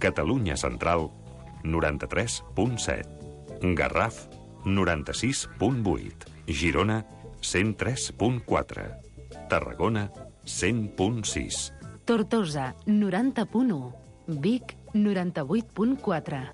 Catalunya Central, 93.7. Garraf, 96.8. Girona, 103.4. Tarragona, 100.6. Tortosa, 90.1. Vic, 98.4.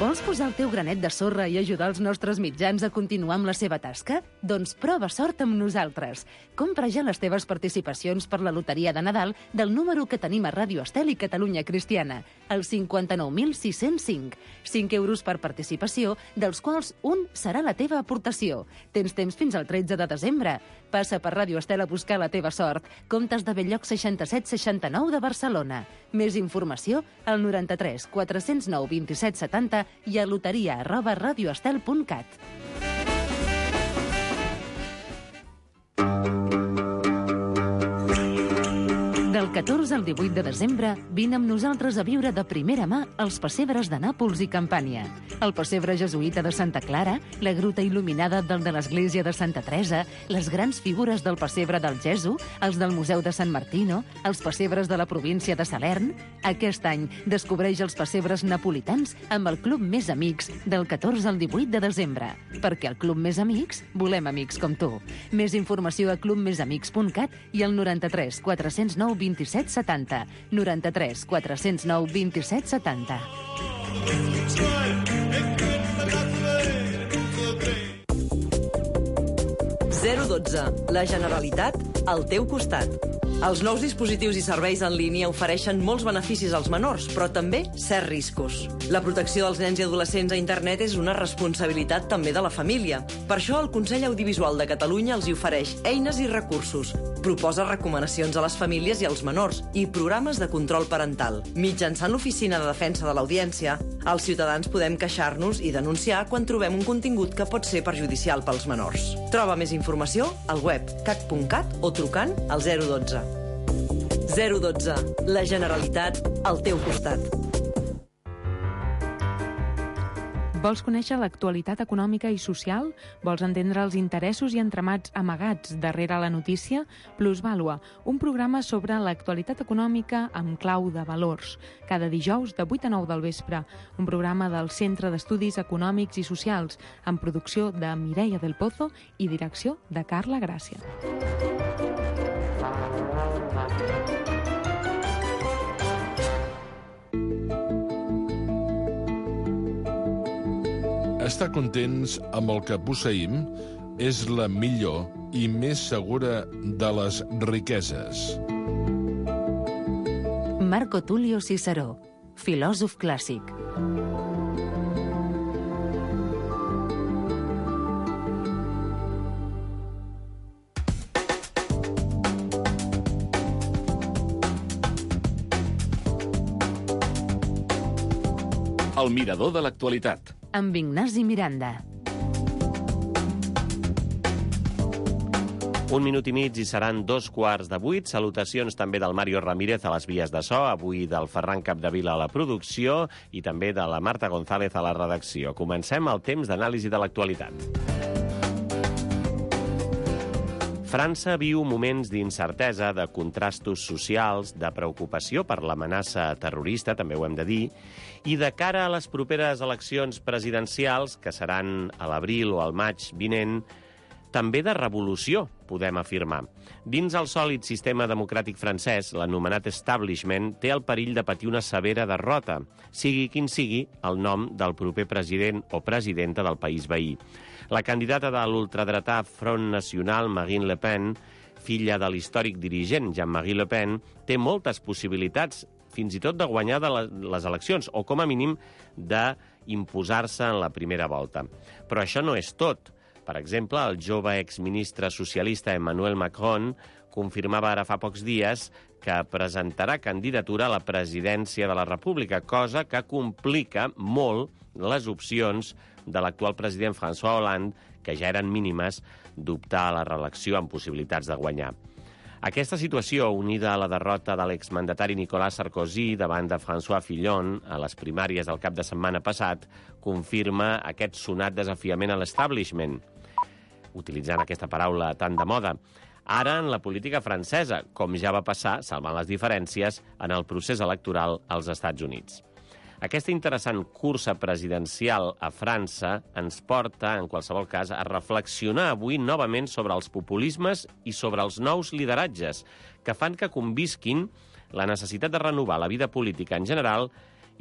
Vols posar el teu granet de sorra i ajudar els nostres mitjans a continuar amb la seva tasca? Doncs prova sort amb nosaltres. Compra ja les teves participacions per la loteria de Nadal del número que tenim a Ràdio Estel i Catalunya Cristiana, el 59.605. 5 euros per participació, dels quals un serà la teva aportació. Tens temps fins al 13 de desembre. Passa per Ràdio Estel a buscar la teva sort. Comptes de Belllloc 6769 de Barcelona. Més informació al 93 409 27 70 i a loteria@radioestel.cat. Del 14 al 18 de desembre, vine amb nosaltres a viure de primera mà els pessebres de Nàpols i Campània. El pessebre jesuïta de Santa Clara, la gruta il·luminada del de l'església de Santa Teresa, les grans figures del pessebre del Gesu, els del Museu de Sant Martino, els pessebres de la província de Salern. Aquest any descobreix els pessebres napolitans amb el Club Més Amics del 14 al 18 de desembre. Perquè al Club Més Amics volem amics com tu. Més informació a clubmesamics.cat i al 93 409 27 70. 93 409 27 70. 012. La Generalitat al teu costat. Els nous dispositius i serveis en línia ofereixen molts beneficis als menors, però també certs riscos. La protecció dels nens i adolescents a internet és una responsabilitat també de la família. Per això el Consell Audiovisual de Catalunya els hi ofereix eines i recursos, proposa recomanacions a les famílies i als menors i programes de control parental. Mitjançant l'Oficina de Defensa de l'Audiència, els ciutadans podem queixar-nos i denunciar quan trobem un contingut que pot ser perjudicial pels menors. Troba més informació al web cac.cat o trucant al 012. 012. La Generalitat al teu costat. Vols conèixer l'actualitat econòmica i social? Vols entendre els interessos i entramats amagats darrere la notícia? Plusvàlua, un programa sobre l'actualitat econòmica amb clau de valors. Cada dijous de 8 a 9 del vespre. Un programa del Centre d'Estudis Econòmics i Socials, amb producció de Mireia del Pozo i direcció de Carla Gràcia. Estar contents amb el que posseïm és la millor i més segura de les riqueses. Marco Tulio Ciceró, filòsof clàssic. El mirador de l'actualitat. Amb Ignasi Miranda. Un minut i mig i seran 7:15. Salutacions també del Mario Ramírez a les vies de so, avui del Ferran Capdevila a la producció i també de la Marta González a la redacció. Comencem el temps d'anàlisi de l'actualitat. França viu moments d'incertesa, de contrastos socials, de preocupació per l'amenaça terrorista, també ho hem de dir, i de cara a les properes eleccions presidencials, que seran a l'abril o al maig vinent, també de revolució, podem afirmar. Dins el sòlid sistema democràtic francès, l'anomenat establishment té el perill de patir una severa derrota, sigui quin sigui el nom del proper president o presidenta del país veí. La candidata de l'ultradretà Front National, Marine Le Pen, filla de l'històric dirigent Jean-Marie Le Pen, té moltes possibilitats, fins i tot de guanyar les eleccions, o com a mínim d'imposar-se en la primera volta. Però això no és tot. Per exemple, el jove exministre socialista Emmanuel Macron confirmava ara fa pocs dies que presentarà candidatura a la presidència de la República, cosa que complica molt les opcions de l'actual president François Hollande, que ja eren mínimes, d'optar a la reelecció amb possibilitats de guanyar. Aquesta situació, unida a la derrota de l'exmandatari Nicolas Sarkozy davant de François Fillon a les primàries del cap de setmana passat, confirma aquest sonat desafiament a l'establishment, utilitzant aquesta paraula tan de moda. ara en la política francesa, com ja va passar, salvant les diferències, en el procés electoral als Estats Units. Aquesta interessant cursa presidencial a França ens porta, en qualsevol cas, a reflexionar avui novament sobre els populismes i sobre els nous lideratges que fan que convisquin la necessitat de renovar la vida política en general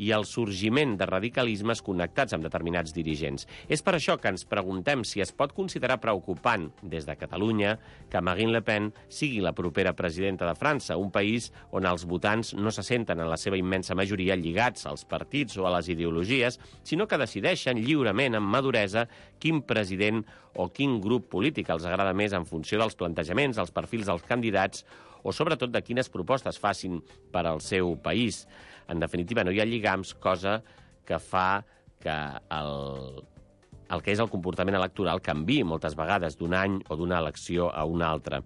i el sorgiment de radicalismes connectats amb determinats dirigents. És per això que ens preguntem si es pot considerar preocupant, des de Catalunya, que Marine Le Pen sigui la propera presidenta de França, un país on els votants no se senten en la seva immensa majoria lligats als partits o a les ideologies, sinó que decideixen lliurement, amb maduresa, quin president o quin grup polític els agrada més en funció dels plantejaments, els perfils dels candidats o, sobretot, de quines propostes facin per al seu país. En definitiva, no hi ha lligams, cosa que fa que el que és el comportament electoral canviï moltes vegades d'un any o d'una elecció a una altra.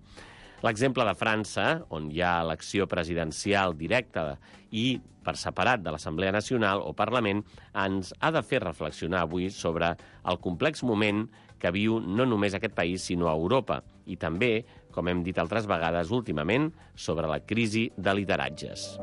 L'exemple de França, on hi ha elecció presidencial directa i per separat de l'Assemblea Nacional o Parlament, ens ha de fer reflexionar avui sobre el complex moment que viu no només aquest país, sinó a Europa, i també, com hem dit altres vegades últimament, sobre la crisi de lideratges.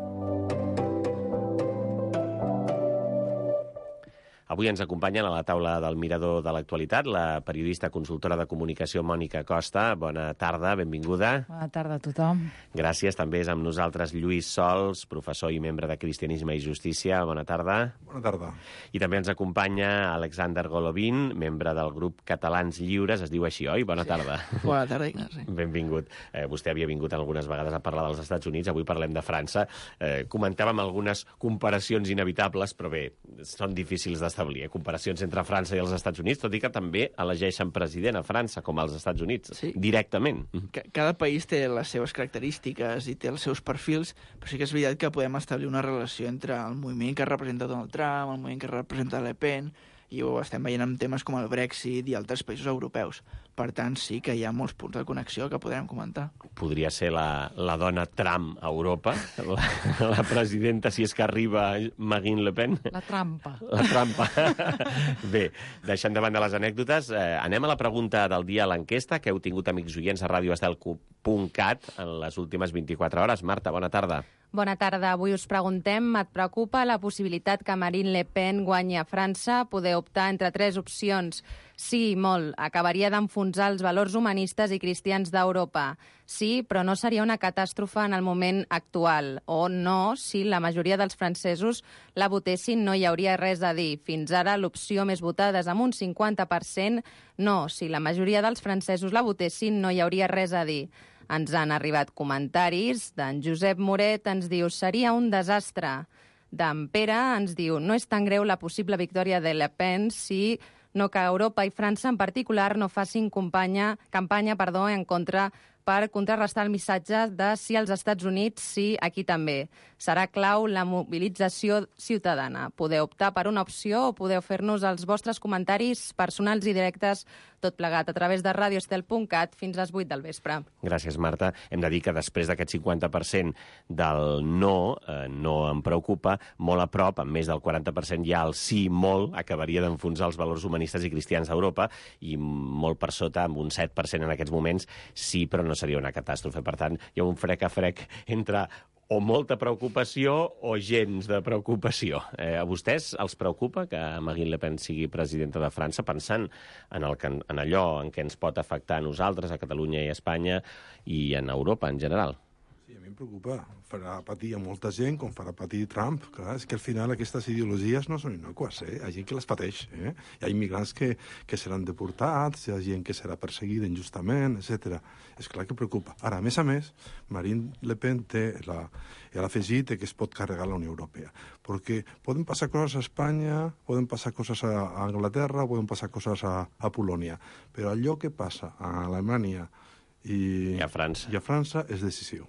Avui ens acompanyen a la taula del Mirador de l'Actualitat la periodista consultora de comunicació Mònica Costa. Bona tarda, benvinguda. Bona tarda a tothom. Gràcies. També és amb nosaltres Lluís Sols, professor i membre de Cristianisme i Justícia. Bona tarda. Bona tarda. I també ens acompanya Alexander Golovin, membre del grup Catalans Lliures. Es diu així, oi? Bona tarda. Bona tarda, Ignasi. Benvingut. Vostè havia vingut algunes vegades a parlar dels Estats Units. Avui parlem de França. Comentàvem algunes comparacions inevitables, però bé, són difícils d'establir. Comparacions entre França i els Estats Units, tot i que també elegeixen president a França com als Estats Units, sí, directament. Cada país té les seves característiques i té els seus perfils, però sí que és veritat que podem establir una relació entre el moviment que representa Donald Trump, el moviment que representa Le Pen, i ho estem veient amb temes com el Brexit i altres països europeus. Per tant, sí que hi ha molts punts de connexió que podrem comentar. Podria ser la dona Trump a Europa, la presidenta, si és que arriba Marine Le Pen. La trampa. La trampa. Bé, deixant de banda les anècdotes, anem a la pregunta del dia a l'enquesta que heu tingut, amics oients, a radioestel.cat en les últimes 24 hores. Marta, bona tarda. Bona tarda. Avui us preguntem, et preocupa la possibilitat que Marine Le Pen guanyi a França? Poder optar entre tres opcions. Sí, molt. Acabaria d'enfonsar els valors humanistes i cristians d'Europa. Sí, però no seria una catàstrofe en el moment actual. O no, si la majoria dels francesos la votessin no hi hauria res a dir. Fins ara l'opció més votada és amb un 50%. No, si la majoria dels francesos la votessin no hi hauria res a dir. Ens han arribat comentaris. D'en Josep Moret ens diu seria un desastre. D'en Pere ens diu no és tan greu la possible victòria de Le Pen si no que Europa i França en particular no facin campanya en contra per contrarrestar el missatge de si als Estats Units, sí, aquí també. Serà clau la mobilització ciutadana. Podeu optar per una opció o podeu fer-nos els vostres comentaris personals i directes, tot plegat a través de radioestel.cat fins a les 8 del vespre. Gràcies, Marta. Hem de dir que després d'aquest 50% del no em preocupa, molt a prop, amb més del 40% hi ha el sí molt, acabaria d'enfonsar els valors humanistes i cristians d'Europa, i molt per sota, amb un 7% en aquests moments, sí, però no seria una catàstrofe. Per tant, hi ha un frec a frec entre o molta preocupació o gens de preocupació. A vostès els preocupa que Marine Le Pen sigui presidenta de França, pensant en allò en què ens pot afectar a nosaltres, a Catalunya i a Espanya, i en Europa en general? Sí, a mi em preocupa. Farà patir a molta gent, com farà patir Trump. Clar, és que al final aquestes ideologies no són innocues, Hi ha gent que les pateix, Hi ha immigrants que seran deportats, hi ha gent que serà perseguida injustament, etc. És clar que preocupa. Ara, a més, Marine Le Pen té l'afegit que es pot carregar la Unió Europea. Perquè poden passar coses a Espanya, poden passar coses a Anglaterra, poden passar coses a Polònia. Però allò que passa a Alemanya i a França és decisiu.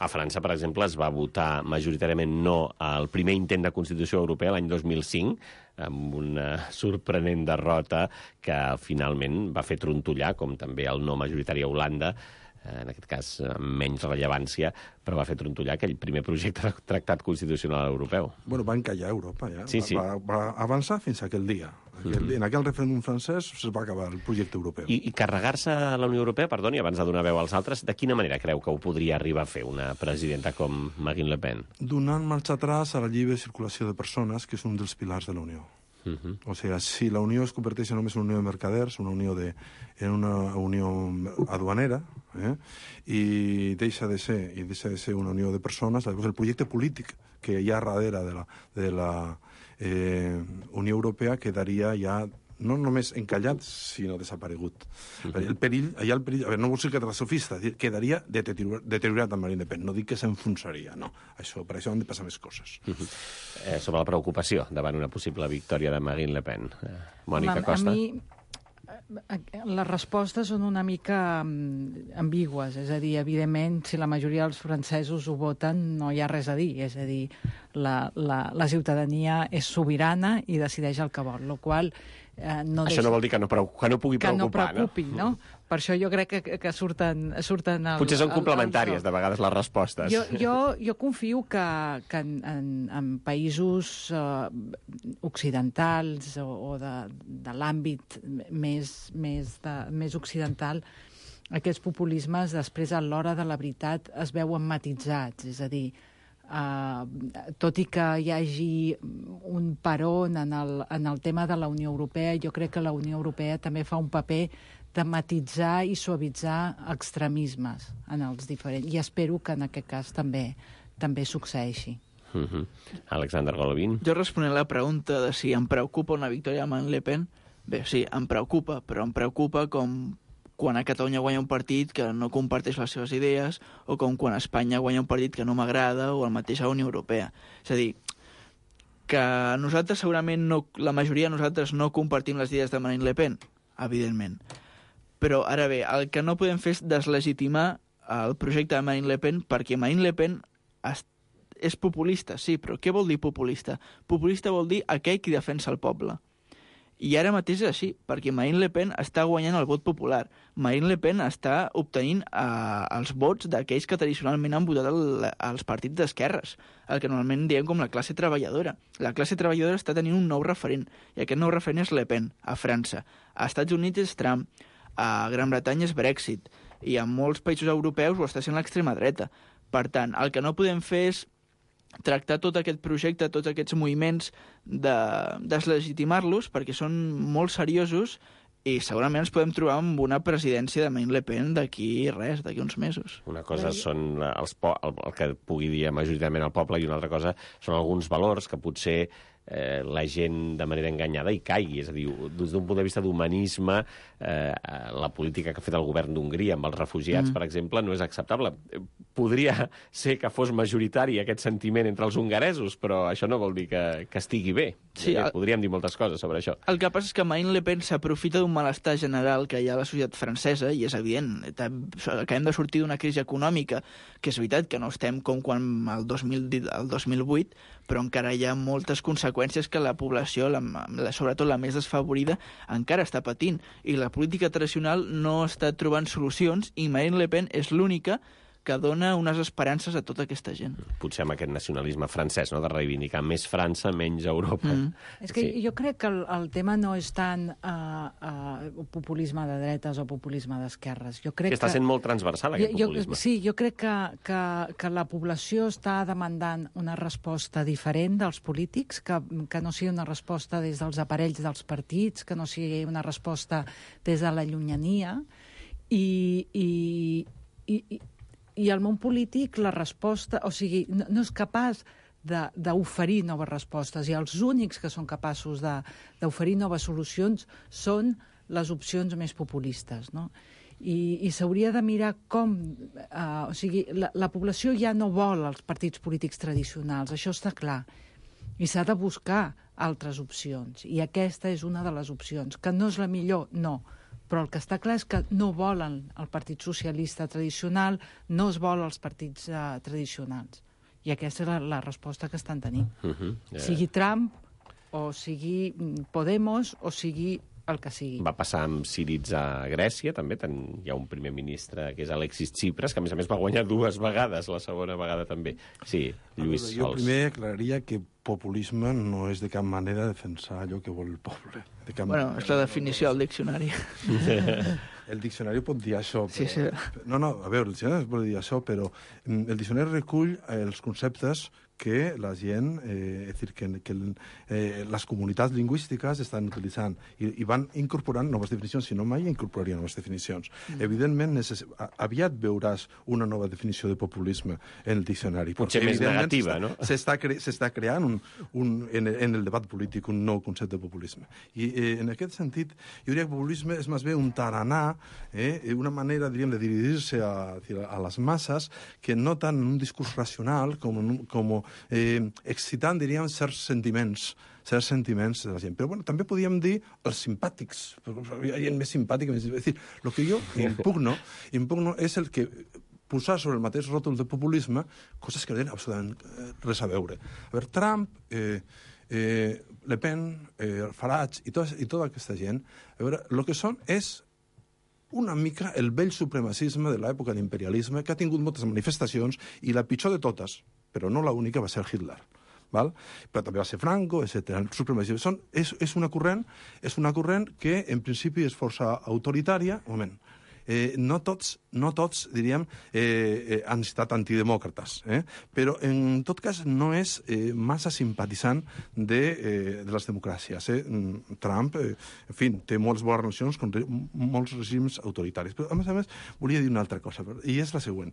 A França, per exemple, es va votar majoritàriament no al primer intent de Constitució Europea l'any 2005, amb una sorprenent derrota que finalment va fer trontollar, com també el no majoritari a Holanda, en aquest cas amb menys rellevància, però va fer trontollar aquell primer projecte de tractat constitucional europeu. Bueno, va encallar Europa, ja. Sí. Va avançar fins a aquell dia. En aquell referèndum francès es va acabar el projecte europeu. I carregar-se a la Unió Europea, perdoni, abans de donar veu als altres, de quina manera creu que ho podria arribar a fer una presidenta com Marine Le Pen? Donant marxa atrás a la lliure circulació de persones, que és un dels pilars de la Unió. O sigui, si la Unió es converteix només en una unió de mercaders, en una unió aduanera, i deixa de ser una unió de persones, llavors el projecte polític que hi ha darrere de la Unió Europea quedaria ja no només encallat, sinó desaparegut. El perill, a veure, no vol ser catastrofista, quedaria deteriorat amb Marine Le Pen. No dic que s'enfonsaria, no. Per això han de passar més coses. Sobre la preocupació davant una possible victòria de Marine Le Pen. Mònica Costa. A mi les respostes són una mica ambigües, és a dir, evidentment, si la majoria dels francesos ho voten, no hi ha res a dir, és a dir, la ciutadania és sobirana i decideix el que vol, la qual això no vol dir que no pugui preocupar, no? Que no preocupi, no? Per això jo crec que surten potser són complementàries, de vegades, les respostes. Jo confio que en països occidentals o de l'àmbit més occidental, aquests populismes després a l'hora de la veritat es veuen matitzats, és a dir, tot i que hi hagi un peron en el tema de la Unió Europea, jo crec que la Unió Europea també fa un paper de matitzar i suavitzar extremismes en els diferents, i espero que en aquest cas també succeeixi. Alexander Golovin. Jo responent a la pregunta de si em preocupa una victòria de Marine Le Pen, bé, sí, em preocupa, però em preocupa com quan a Catalunya guanya un partit que no comparteix les seves idees, o com quan a Espanya guanya un partit que no m'agrada, o el mateix a la Unió Europea. És a dir, que nosaltres segurament la majoria de nosaltres no compartim les idees de Marine Le Pen, evidentment. Però ara bé, el que no podem fer és deslegitimar el projecte de Marine Le Pen, perquè Marine Le Pen és populista, sí, però què vol dir populista? Populista vol dir aquell qui defensa el poble. I ara mateix és així, perquè Marine Le Pen està guanyant el vot popular. Marine Le Pen està obtenint els vots d'aquells que tradicionalment han votat als partits d'esquerres, el que normalment diem com la classe treballadora. La classe treballadora està tenint un nou referent, i aquest nou referent és Le Pen, a França. A Estats Units és Trump, a Gran Bretanya és Brexit, i a molts països europeus ho està sent l'extrema dreta. Per tant, el que no podem fer és tractar tot aquest projecte, tots aquests moviments, deslegitimar-los, perquè són molt seriosos i segurament ens podem trobar amb una presidència de Marine Le Pen d'aquí uns mesos. Una cosa són el que pugui dir majoritàriament el poble, i una altra cosa són alguns valors que potser la gent de manera enganyada hi caigui. És a dir, des d'un punt de vista d'humanisme, la política que ha fet el govern d'Hongria amb els refugiats, per exemple, no és acceptable. Podria ser que fos majoritari aquest sentiment entre els hongaresos, però això no vol dir que estigui bé. Sí, podríem dir moltes coses sobre això. El que passa és que Marine Le Pen s'aprofita d'un malestar general que hi ha a la societat francesa, i és evident. Acabem de sortir d'una crisi econòmica, que és veritat que no estem com quan el 2008, però encara hi ha moltes conseqüències que la població, sobretot la més desfavorida, encara està patint. I la política tradicional no està trobant solucions, i Marine Le Pen és l'única que dona unes esperances a tota aquesta gent. Potser amb aquest nacionalisme francès, no?, de reivindicar més França, menys Europa. És que jo crec que el tema no és tant populisme de dretes o populisme d'esquerres. Que està sent molt transversal, aquest populisme. Sí, jo crec que la població està demandant una resposta diferent dels polítics, que no sigui una resposta des dels aparells dels partits, que no sigui una resposta des de la llunyania, i el món polític, la resposta, o sigui, no és capaç d'oferir noves respostes, i els únics que són capaços d'oferir noves solucions són les opcions més populistes, no? I s'hauria de mirar com... O sigui, la població ja no vol els partits polítics tradicionals, això està clar, i s'ha de buscar altres opcions, i aquesta és una de les opcions. Que no és la millor, no, però el que està clar és que no volen el Partit Socialista tradicional, no es volen els partits tradicionals. I aquesta és la resposta que estan tenint. Sigui Trump, o sigui Podemos, o sigui el que sigui. Va passar amb Syriza a Grècia, també. Hi ha un primer ministre, que és Alexis Tsipras, que a més va guanyar 2 vegades, la segona vegada també. Sí, Lluís Sols. Jo primer aclararia que populisme no és de cap manera defensar allò que vol el poble. Bueno, és la definició del diccionari. El diccionari pot dir això. Però... Sí. No, a veure, el diccionari pot dir això, però el diccionari recull els conceptes que la gent, és a dir, que les comunitats lingüístiques estan utilitzant i van incorporant noves definicions, si no mai incorporarien noves definicions. Evidentment, aviat veuràs una nova definició de populisme en el diccionari. Potser més negativa, no? S'està creant en el debat polític un nou concepte de populisme. I en aquest sentit, jo diria que populisme és més bé un taranà, una manera, diríem, de dirigir-se a les masses que no tant un discurs racional com excitant, diríem, certs sentiments de la gent. Però bueno, també podíem dir els simpàtics. Hi ha gent més simpàtica. És dir, el que jo impugno és el que posar sobre el mateix ròtol de populisme coses que no tenen absolutament res a veure. A veure, Trump, Le Pen, Farage i tota aquesta gent, a veure, el que són és una mica el vell supremacisme de l'època de l'imperialisme que ha tingut moltes manifestacions i la pitjor de totes, però no l'única, va ser Hitler. Val? Però també va ser Franco, etc. El supremacisme és una corrent que en principi és força autoritària. Un moment. No tots, diríem, han estat antidemòcrates, però en tot cas no és massa simpatitzant de les democràcies. Trump, en fi, té moltes bones relacions con molts regims autoritaris. Però, a més, volia dir una altra cosa, i és la següent.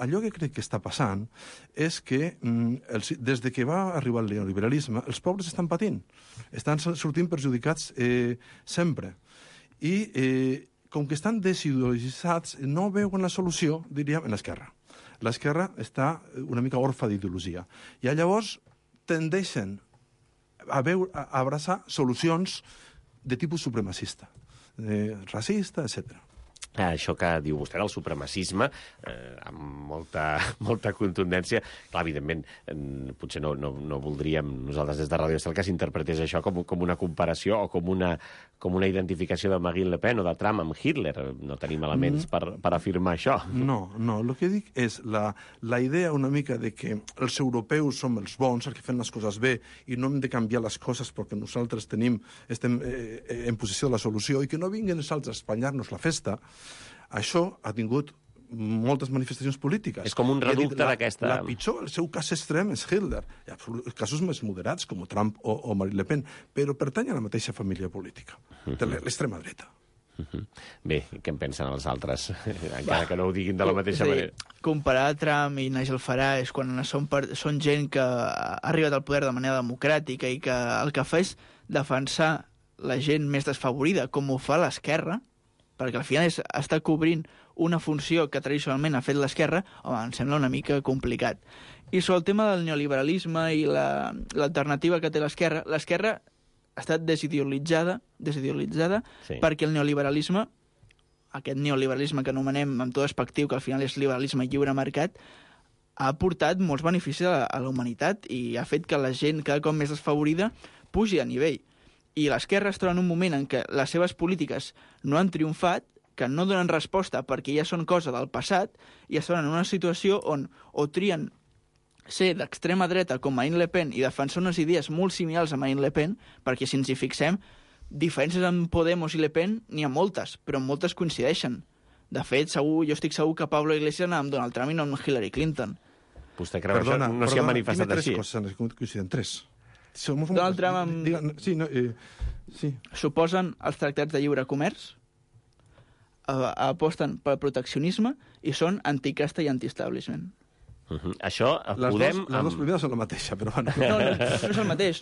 Allò que crec que està passant és que des que va arribar el neoliberalisme, els pobres estan patint, estan sortint perjudicats sempre. I com que estan desideologitzats, no veuen la solució, diríem, en l'esquerra. L'esquerra està una mica orfa d'ideologia. I llavors tendeixen a abraçar solucions de tipus supremacista, racista, etc. Això que diu vostè del supremacisme, amb molta contundència, clar, evidentment, potser no voldríem nosaltres des de Radio Estel que s'interpretés això com una comparació o com una identificació de Marine Le Pen o de Trump amb Hitler. No tenim elements per afirmar això. No, el que dic és la idea una mica de que els europeus som els bons, els que fem les coses bé, i no hem de canviar les coses perquè nosaltres estem en posició de la solució i que no vinguin els altres a espanyar-nos la festa. Això ha tingut moltes manifestacions polítiques. És com un reducte d'aquesta... La pitjor, el seu cas extrem és Hitler. Hi ha casos més moderats, com Trump o Marine Le Pen, però pertany a la mateixa família política, de l'extrema dreta. Bé, què en pensen els altres? Encara que no ho diguin de la mateixa manera. Comparar Trump i Nigel Farage quan són gent que ha arribat al poder de manera democràtica i que el que fa és defensar la gent més desfavorida, com ho fa l'esquerra, perquè al final està cobrint una funció que tradicionalment ha fet l'esquerra, home, em sembla una mica complicat. I sobre el tema del neoliberalisme i l'alternativa que té l'esquerra ha estat desideologitzada sí. Perquè el neoliberalisme, aquest neoliberalisme que anomenem amb tot despectiu, que al final és liberalisme lliure mercat, ha portat molts beneficis a la humanitat i ha fet que la gent cada cop més desfavorida pugi a nivell. I l'esquerra es troba en un moment en què les seves polítiques no han triomfat, que no donen resposta perquè ja són cosa del passat, i es troben en una situació on o trien ser d'extrema dreta com Marine Le Pen i defensar unes idees molt similars a Marine Le Pen, perquè si ens hi fixem, diferències amb Podemos i Le Pen n'hi ha moltes, però moltes coincideixen. De fet, jo estic segur que Pablo Iglesias anava amb Donald Trump i no amb Hillary Clinton. Vostè creu que això no s'hi ha manifestat així? Dime tres coses, coinciden tres. Donald Trump suposen els tractats de lliure comerç, aposten pel proteccionisme i són anticasta i anti-establishment. Això podem... Les dues primeres són la mateixa, però... No és el mateix.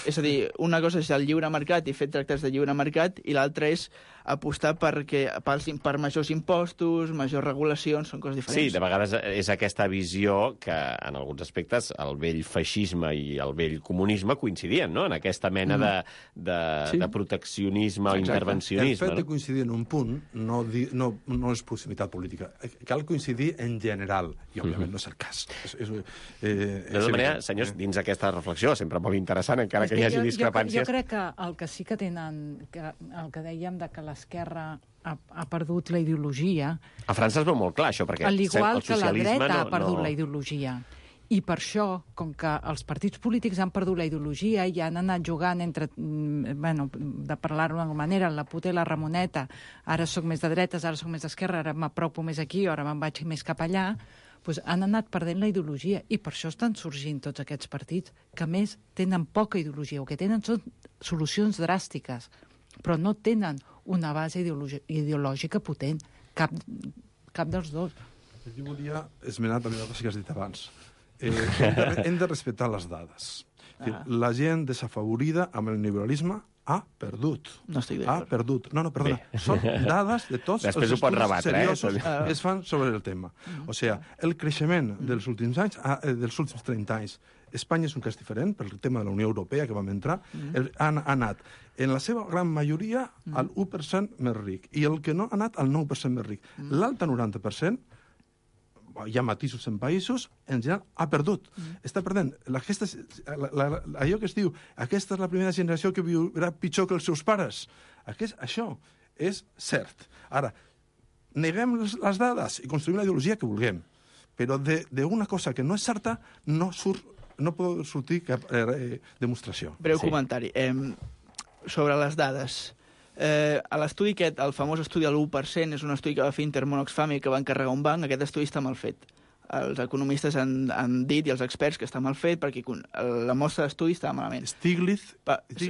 És a dir, una cosa és el lliure mercat i fer tractats de lliure mercat i l'altra és apostar per majors impostos, majors regulacions, són coses diferents. Sí, de vegades és aquesta visió que en alguns aspectes el vell feixisme i el vell comunisme coincidien, no?, en aquesta mena de proteccionisme o intervencionisme. El fet de coincidir en un punt no és proximitat política. Cal coincidir en general, i òbviament no és el cas. De tota manera, senyors, dins aquesta reflexió, sempre molt interessant, encara que hi hagi discrepàncies... Jo crec que el que sí que tenen, el que dèiem de que l'esquerra ha perdut la ideologia... A França es veu molt clar, això, perquè al igual el socialisme que la dreta ha perdut la ideologia. I per això, com que els partits polítics han perdut la ideologia i han anat jugant entre, de parlar-ho d'alguna manera, la puta i la Ramoneta, ara sóc més de dretes, ara sóc més d'esquerra, ara m'apropo més aquí, ara me'n vaig més cap allà, doncs han anat perdent la ideologia i per això estan sorgint tots aquests partits que, a més, tenen poca ideologia. El que tenen són solucions dràstiques, però no tenen una base ideològica potent, cap dels dos. Jo volia esmenar també una cosa que has dit abans. Hem de respectar les dades. La gent desafavorida amb el neoliberalisme ha perdut. No estic d'acord. Ha perdut. No, perdona. Són dades de tots els estudis seriosos que es fan sobre el tema. O sigui, el creixement dels últims anys, dels últims 30 anys, Espanya és un cas diferent, per el tema de la Unió Europea que vam entrar, ha anat, en la seva gran majoria, al 1% més ric, i el que no ha anat al 9% més ric. L'altre 90%, hi ha matisos en països, en general ha perdut. Està perdent. Allò que es diu, aquesta és la primera generació que viurà pitjor que els seus pares. Això és cert. Ara, neguem les dades i construïm la ideologia que vulguem, però d'una cosa que no és certa no pot sortir cap demostració. Breu comentari. Sobre les dades. A l'estudi aquest, el famós estudi de l'1%, és un estudi que va fer Intermón Oxfam i que va encarregar un banc. Aquest estudi està mal fet. Els economistes han dit, i els experts, que està mal fet perquè la mostra d'estudi està malament. Stiglitz? Sí,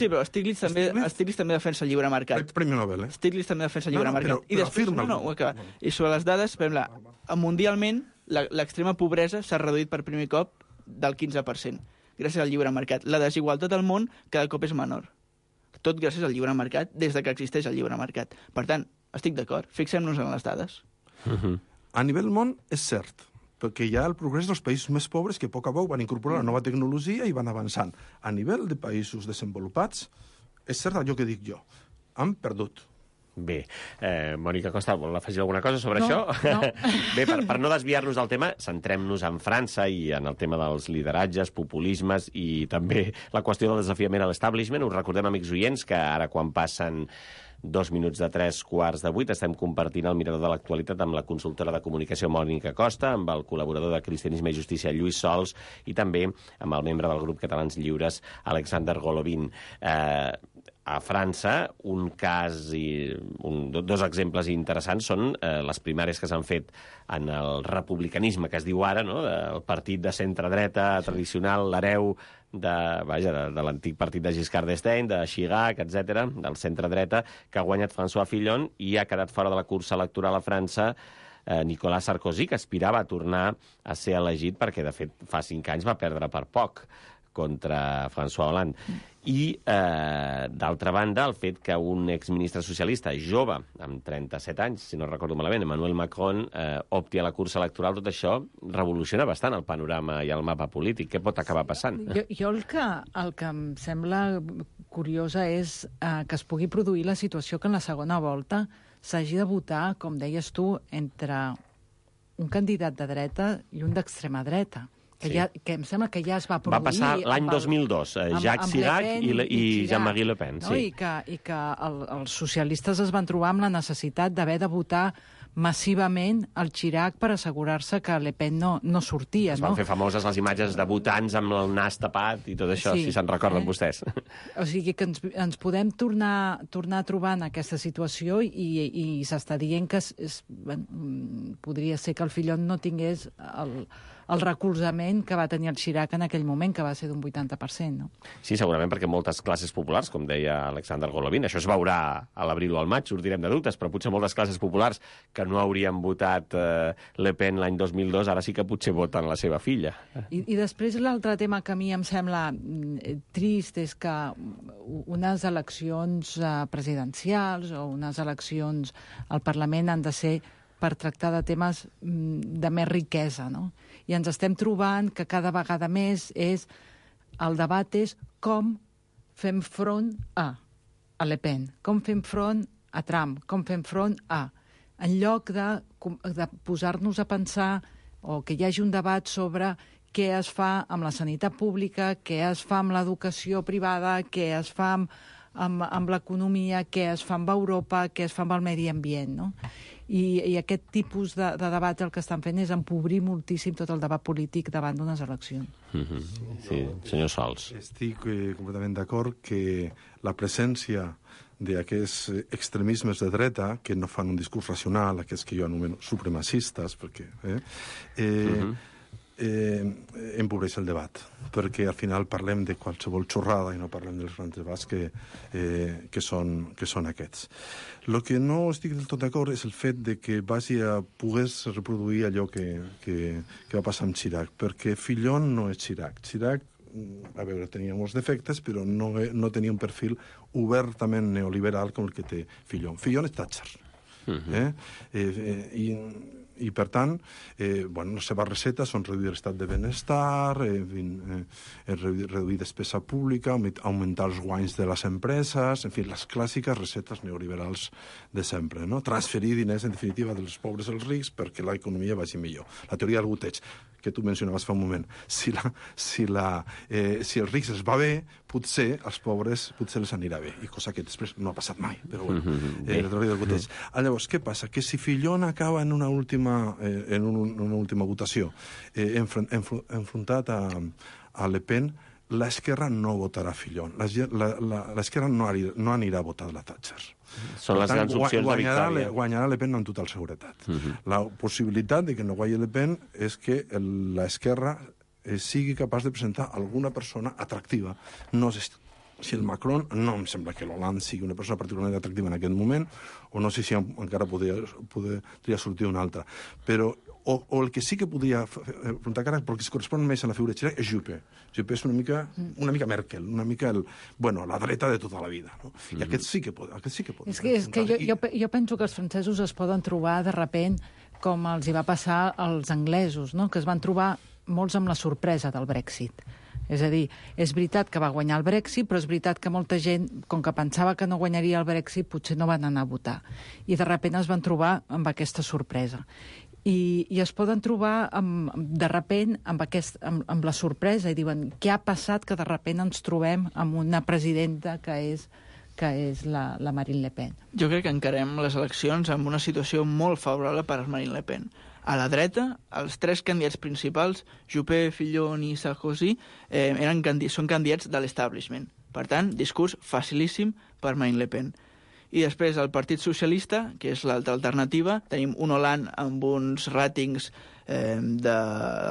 però Stiglitz també defensa el lliure mercat. Premi Nobel, Stiglitz també defensa el lliure mercat. Però afirma... I sobre les dades, mundialment, l'extrema pobresa s'ha reduït per primer cop del 15%, gràcies al lliure mercat. La desigualtat al món cada cop és menor. Tot gràcies al lliure mercat, des que existeix el lliure mercat. Per tant, estic d'acord, fixem-nos en les dades. A nivell món és cert, perquè hi ha el progrés dels països més pobres que a poc a poc van incorporar la nova tecnologia i van avançant. A nivell de països desenvolupats, és cert allò que dic jo, han perdut. Bé, Mònica Costa, vol afegir alguna cosa sobre això? No. Bé, per no desviar-nos del tema, centrem-nos en França i en el tema dels lideratges, populismes i també la qüestió del desafiament a l'establishment. Us recordem, amics oients, que ara quan passen 2 minuts de 7:45 estem compartint el mirador de l'actualitat amb la consultora de comunicació Mònica Costa, amb el col·laborador de Cristianisme i Justícia Lluís Sols i també amb el membre del grup Catalans Lliures Alexander Golovin. A França, un cas i dos exemples interessants són les primàries que s'han fet en el republicanisme, que es diu ara, no? El partit de centre-dreta tradicional, l'hereu de l'antic partit de Giscard d'Estaing, de Chirac, etc., del centre-dreta, que ha guanyat François Fillon i ha quedat fora de la cursa electoral a França Nicolas Sarkozy, que aspirava a tornar a ser elegit perquè, de fet, fa 5 anys va perdre per poc contra François Hollande. I, d'altra banda, el fet que un exministre socialista jove, amb 37 anys, si no recordo malament, Emmanuel Macron, opti a la cursa electoral, tot això revoluciona bastant el panorama i el mapa polític. Què pot acabar passant? Jo el que em sembla curiosa és que es pugui produir la situació que en la segona volta s'hagi de votar, com deies tu, entre un candidat de dreta i un d'extrema dreta. Que em sembla que ja es va produir... Va passar l'any 2002, Jacques Chirac i Jean-Marie Le Pen. No? I que els socialistes es van trobar amb la necessitat d'haver de votar massivament el Chirac per assegurar-se que Le Pen no sortia. Es van fer famoses les imatges de votants amb el nas tapat i tot això, si se'n recorden vostès. O sigui que ens podem tornar a trobar en aquesta situació i s'està dient que podria ser que el Fillon no tingués el recolzament que va tenir el Chirac en aquell moment, que va ser d'un 80%. No? Sí, segurament perquè moltes classes populars, com deia Alexander Golovin, això es veurà a l'abril o al maig, sortirem de dubtes, però potser moltes classes populars que no haurien votat Le Pen l'any 2002, ara sí que potser voten la seva filla. I després l'altre tema que a mi em sembla trist és que unes eleccions presidencials o unes eleccions al Parlament han de ser per tractar de temes de més riquesa, no? I ens estem trobant que cada vegada més el debat és com fem front a Le Pen, com fem front a Trump, com fem front a... En lloc de posar-nos a pensar o que hi hagi un debat sobre què es fa amb la sanitat pública, què es fa amb l'educació privada, què es fa amb l'economia, què es fa amb Europa, què es fa amb el medi ambient, no? I aquest tipus de debat el que estan fent és empobrir moltíssim tot el debat polític davant d'unes eleccions. Sí, senyor Sols. Estic completament d'acord que la presència d'aquests extremismes de dreta, que no fan un discurs racional, aquests que jo anomeno supremacistes, perquè empobreix el debat, perquè al final parlem de qualsevol xorrada i no parlem dels grans debats que són aquests. El que no estic del tot d'acord és el fet de que pogués reproduir allò que va passar amb Chirac, perquè Fillon no és Chirac. Chirac, a veure, tenia molts defectes, però no tenia un perfil obertament neoliberal com el que té Fillon. Fillon és Thatcher. I per tant, les seves recetes són reduir l'estat de benestar, reduir despesa pública, augmentar els guanys de les empreses, en fi, les clàssiques recetes neoliberals de sempre, no? Transferir diners, en definitiva, dels pobres als rics perquè l'economia vagi millor. La teoria del goteig, que tu mencionaves fa un moment. Si els rics els va bé, potser als pobres potser els anirà bé, i cosa que després no ha passat mai, però bueno, la teoria del goteig. Llavors, què passa? Que si Fillon acaba en una última votació enfrontat a Le Pen, l'esquerra no votarà Fillon. L'esquerra no anirà a votar la Thatcher. Són les grans opcions de victòria. Guanyarà Le Pen amb total seguretat. La possibilitat de que no guanyi Le Pen és que l'esquerra sigui capaç de presentar alguna persona atractiva. No sé si el Macron, no em sembla que l'Hollande sigui una persona particularment atractiva en aquest moment, o no sé si encara podria sortir una altra. Però o el que sí que podria afrontar cara, perquè es correspon més a la figura de Chirac, és Juppé. Juppé és una mica Merkel, una mica la dreta de tota la vida. No? I aquest sí que pot. És que jo penso que els francesos es poden trobar de repent com els hi va passar als anglesos, no? Que es van trobar molts amb la sorpresa del Brexit. És a dir, és veritat que va guanyar el Brexit, però és veritat que molta gent, com que pensava que no guanyaria el Brexit, potser no van anar a votar. I de sobte es van trobar amb aquesta sorpresa. I es poden trobar de sobte amb la sorpresa i diuen, què ha passat que de sobte ens trobem amb una presidenta que és la Marine Le Pen? Jo crec que encarem les eleccions amb una situació molt favorable per a Marine Le Pen. A la dreta, els tres candidats principals, Juppé, Fillon i Sarkozy, són candidats de l'establishment. Per tant, discurs facilíssim per Marine Le Pen. I després el Partit Socialista, que és l'altra alternativa, tenim un Hollande amb uns ràtings de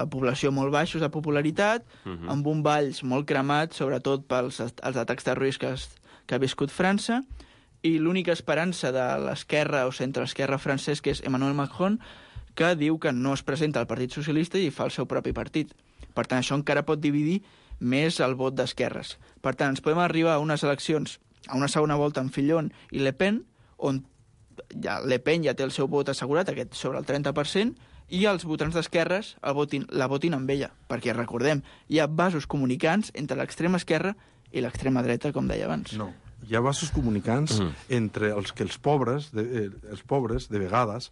població molt baixos de popularitat, amb un Valls molt cremat, sobretot pels atacs terroristes que ha viscut França, i l'única esperança de l'esquerra o centre-esquerra francès, que és Emmanuel Macron, que diu que no es presenta al Partit Socialista i fa el seu propi partit. Per tant, això encara pot dividir més el vot d'esquerres. Per tant, ens podem arribar a unes eleccions, a una segona volta amb Fillon i Le Pen, on Le Pen ja té el seu vot assegurat, aquest sobre el 30%, i els votants d'esquerres la votin amb ella. Perquè, recordem, hi ha vasos comunicants entre l'extrema esquerra i l'extrema dreta, com deia abans. No. Hi ha vasos comunicants entre els que els pobres, de vegades,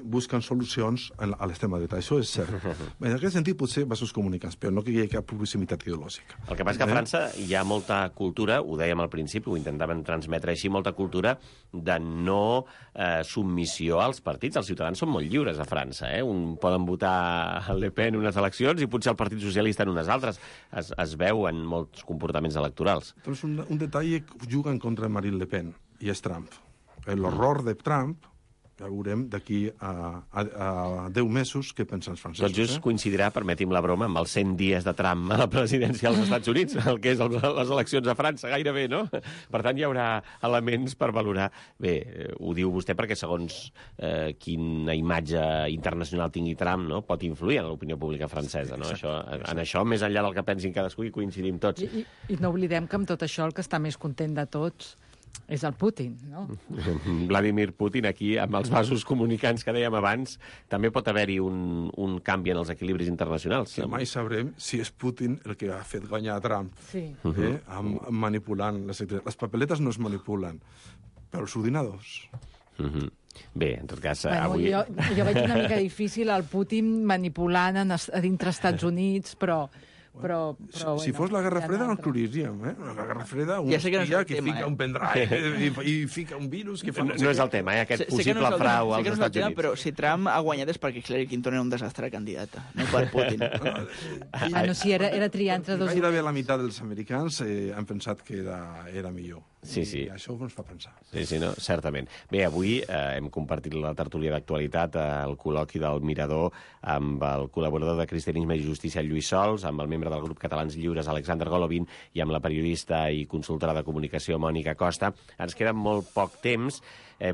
busquen solucions a l'extrema dreta. Això és cert. En aquest sentit, potser vasos comunicants, però no que hi hagi cap publicitat ideològica. El que passa que a França hi ha molta cultura, ho dèiem al principi, ho intentaven transmetre així, molta cultura de no submissió als partits. Els ciutadans són molt lliures a França. Poden votar Le Pen en unes eleccions i potser el Partit Socialista en unes altres. Es veu en molts comportaments electorals. Però és un detall que juga en contra de Marine Le Pen, i és Trump. L'horror de Trump, ja veurem d'aquí a 10 mesos què pensen els francesos. Tot just coincidirà, permeti'm la broma, amb els 100 dies de Trump a la presidència dels Estats Units, el que és les eleccions a França, gairebé, no? Per tant, hi haurà elements per valorar. Bé, ho diu vostè perquè segons quina imatge internacional tingui Trump, no? Pot influir en l'opinió pública francesa, no? En això, més enllà del que pensin cadascú, hi coincidim tots. I no oblidem que amb tot això el que està més content de tots és el Putin, no? Vladimir Putin, aquí, amb els vasos comunicants que dèiem abans, també pot haver-hi un canvi en els equilibris internacionals. Que mai sabrem si és Putin el que ha fet guanyar a Trump, manipulant les papeletes no es manipulen, però els ordinadors. Bé, en tot cas... avui... Jo veig una mica difícil el Putin manipulant a dintre Estats Units, però Però si fos la Guerra Freda no inclouríem, eh? La Guerra Freda, un espia que fica un pendrive i fica un virus que fa... No és el tema, aquest possible frau als Estats Units. Però si Trump ha guanyat és perquè Hillary Clinton era un desastre de candidata, no per Putin. Sí, era triar entre dos... Gairebé la meitat dels americans han pensat que era millor. Sí. I això ens fa pensar. Sí, no, certament. Bé, avui hem compartit la tertúlia d'actualitat, el col·loqui del Mirador, amb el col·laborador de Cristianisme i Justícia, Lluís Sols, amb el membre del grup Catalans Lliures, Alexander Golovin, i amb la periodista i consultora de comunicació, Mònica Costa. Ens queda molt poc temps,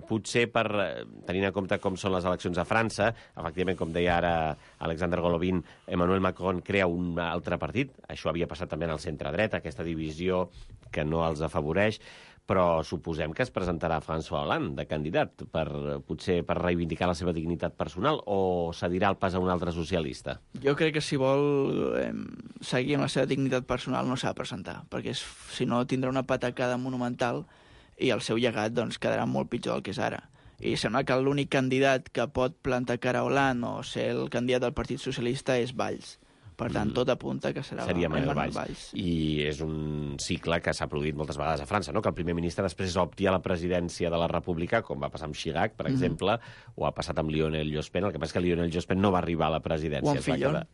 potser tenint en compte com són les eleccions a França, efectivament, com deia ara Alexander Golovin, Emmanuel Macron crea un altre partit. Això havia passat també en el centre-dreta, aquesta divisió que no els afavoreix, però suposem que es presentarà François Hollande de candidat, potser per reivindicar la seva dignitat personal, o cedirà el pas a un altre socialista? Jo crec que si vol seguir amb la seva dignitat personal no s'ha de presentar, perquè si no tindrà una patacada monumental i el seu llegat doncs, quedarà molt pitjor del que és ara. I sembla que l'únic candidat que pot plantar cara a Hollande o ser el candidat del Partit Socialista és Valls. Per tant, tot apunta que seria Manuel Valls. I és un cicle que s'ha produït moltes vegades a França, no? Que el primer ministre després opti a la presidència de la República, com va passar amb Chirac, per exemple, o ha passat amb Lionel Jospin. El que passa és que Lionel Jospin no va arribar a la presidència.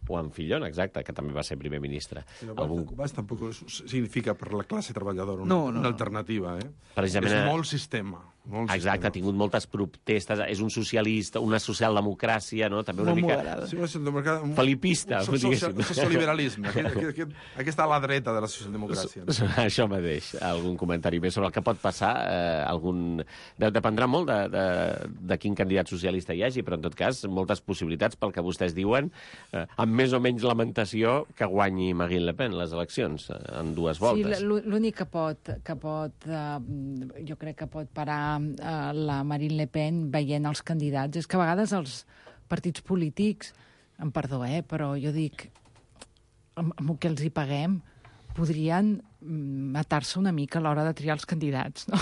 O amb Fillon, exacte, que també va ser primer ministre. Valls tampoc significa per la classe treballadora una alternativa, eh? Precisament, és molt sistema. Exacte, ha tingut moltes protestes, és un socialista, una socialdemocràcia, no? També una mica felipista, socioliberalisme. Aquesta a la dreta de la socialdemocràcia. Això mateix. Algun comentari més sobre el que pot passar? Dependrà molt de quin candidat socialista hi hagi, però en tot cas, moltes possibilitats pel que vostès diuen, amb més o menys lamentació que guanyi Marine Le Pen les eleccions en 2 voltes. Sí, l'únic que pot jo crec que pot parar la Marine Le Pen veient els candidats és que a vegades els partits polítics, em perdó, però jo dic, amb el que els hi paguem, podrien matar-se una mica a l'hora de triar els candidats, no?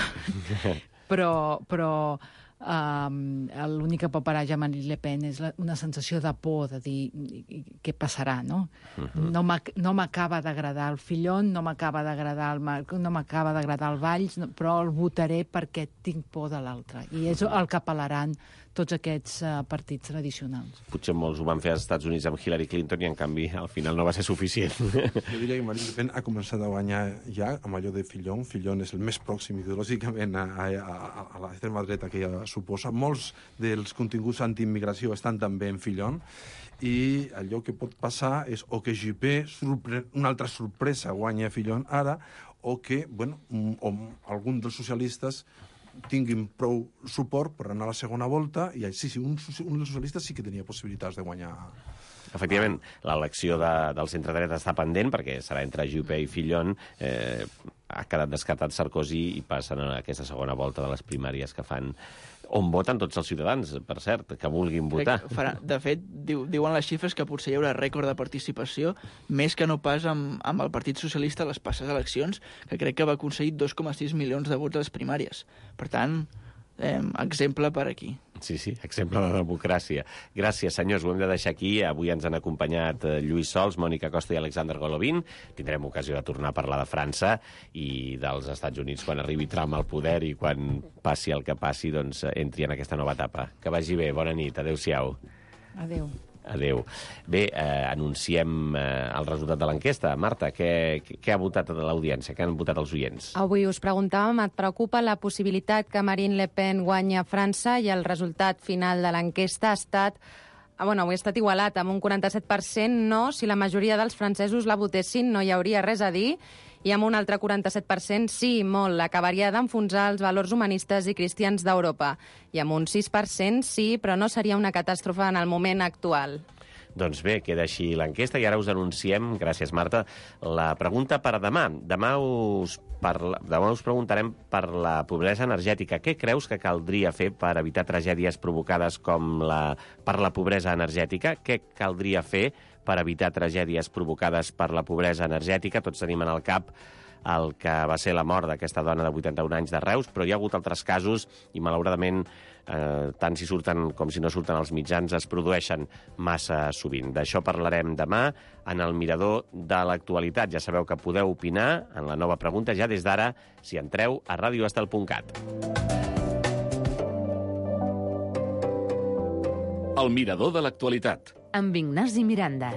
Però l'únic que pot parar ja Marine Le Pen és una sensació de por, de dir què passarà, no? No m'acaba d'agradar el Fillon, no m'acaba d'agradar el Macron, no m'acaba d'agradar el Valls, però el votaré perquè tinc por de l'altre. I és el que apel·laran tots aquests partits tradicionals. Potser molts ho van fer als Estats Units amb Hillary Clinton i, en canvi, al final no va ser suficient. Jo diria que Marine Le Pen ha començat a guanyar ja amb allò de Fillon. Fillon és el més pròxim ideològicament a l'extrema dreta que ella suposa. Molts dels continguts antiimmigració estan també en Fillon i allò que pot passar és o que Juppé, una altra sorpresa, guanya Fillon ara, o que, algun dels socialistes tinguin prou suport per anar a la segona volta i sí, un dels socialistes sí que tenia possibilitats de guanyar. Efectivament, l'elecció del centre-dreta està pendent perquè serà entre Juppé i Fillon. Ha quedat descartat Sarkozy i passen a aquesta segona volta de les primàries que fan, on voten tots els ciutadans, per cert, que vulguin votar. De fet, diuen les xifres que potser hi haurà rècord de participació, més que no pas amb el Partit Socialista a les passades eleccions, que crec que va aconseguir 2,6 milions de vots a les primàries. Per tant, exemple per aquí. Sí, exemple de democràcia. Gràcies, senyors, ho hem de deixar aquí. Avui ens han acompanyat Lluís Sols, Mònica Costa i Alexander Golovin. Tindrem ocasió de tornar a parlar de França i dels Estats Units quan arribi Trump al poder i quan passi el que passi, doncs entri en aquesta nova etapa. Que vagi bé, bona nit, adéu-siau. Adéu. Bé, anunciem el resultat de l'enquesta. Marta, què ha votat l'audiència? Què han votat els oients? Avui us preguntàvem, et preocupa la possibilitat que Marine Le Pen guanyi a França, i el resultat final de l'enquesta ha estat... avui ha estat igualat, amb un 47% no. Si la majoria dels francesos la votessin no hi hauria res a dir, i amb un altre 47% sí, molt. Acabaria d'enfonsar els valors humanistes i cristians d'Europa. I amb un 6% sí, però no seria una catàstrofe en el moment actual. Doncs bé, queda així l'enquesta i ara us anunciem, gràcies Marta, la pregunta per demà. Demà us preguntarem per la pobresa energètica. Què creus que caldria fer per evitar tragèdies provocades per la pobresa energètica? Què caldria fer per evitar tragèdies provocades per la pobresa energètica? Tots tenim en el cap el que va ser la mort d'aquesta dona de 81 anys de Reus, però hi ha hagut altres casos i, malauradament, tant si surten com si no surten als mitjans, es produeixen massa sovint. D'això parlarem demà en el Mirador de l'Actualitat. Ja sabeu que podeu opinar en la nova pregunta ja des d'ara si entreu a radioestel.cat. El Mirador de l'Actualitat. Amb Ignasi Miranda.